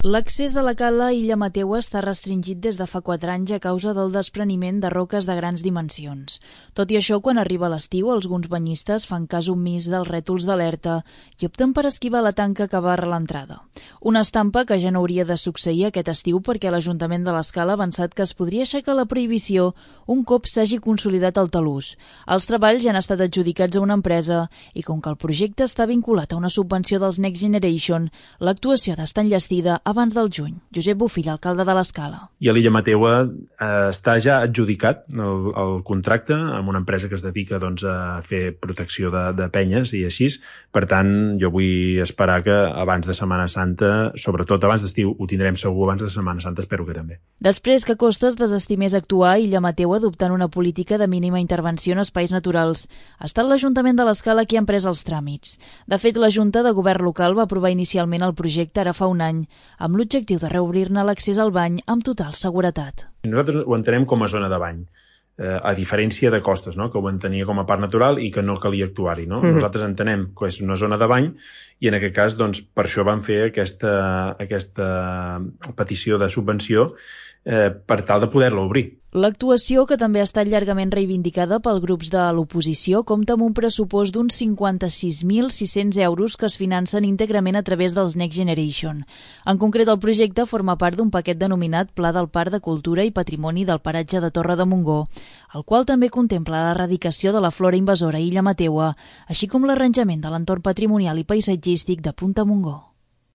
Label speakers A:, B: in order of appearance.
A: L'accés a la cala Illa Mateua està restringit des de fa 4 anys a causa del despreniment de roques de grans dimensions. Tot i això, quan arriba l'estiu, alguns banyistes fan cas omís dels rètols d'alerta i opten per esquivar la tanca que barra l'entrada. Una estampa que ja no hauria de succeir aquest estiu perquè l'Ajuntament de l'Escala ha avançat que es podria aixecar la prohibició un cop s'hagi consolidat el talús. Els treballs ja han estat adjudicats a una empresa i com que el projecte està vinculat a una subvenció dels Next Generation, l'actuació ha d'estar enllestida abans del juny. Josep Bofill, alcalde de l'Escala.
B: I a l'Illa Mateua està ja adjudicat el contracte amb una empresa que es dedica a fer protecció de penyes i així. Per tant, jo vull esperar que abans de Setmana Santa, sobretot abans d'estiu, ho tindrem segur abans de Setmana Santa, espero que també.
A: Després que Costes desestimés actuar, Illa Mateua adoptant una política de mínima intervenció en espais naturals. Ha estat l'Ajuntament de l'Escala qui ha emprès els tràmits. De fet, la Junta de Govern local va aprovar inicialment el projecte ara fa un any, amb l'objectiu de reobrir-ne l'accés al bany amb total seguretat.
B: Nosaltres ho entenem com a zona de bany, a diferència de Costes, no? Que ho entenia com a parc natural i que no calia actuar-hi. No? Nosaltres entenem que és una zona de bany i en aquest cas per això vam fer aquesta petició de subvenció per tal de poder-la obrir.
A: L'actuació, que també ha estat llargament reivindicada pels grups de l'oposició, compta amb un pressupost d'uns 56.600 euros que es financen íntegrament a través dels Next Generation. En concret, el projecte forma part d'un paquet denominat Pla del Parc de Cultura i Patrimoni del Paratge de Torre de Montgó, el qual també contempla l'erradicació de la flora invasora a Illa Mateua, així com l'arranjament de l'entorn patrimonial i paisatgístic de Punta Montgó.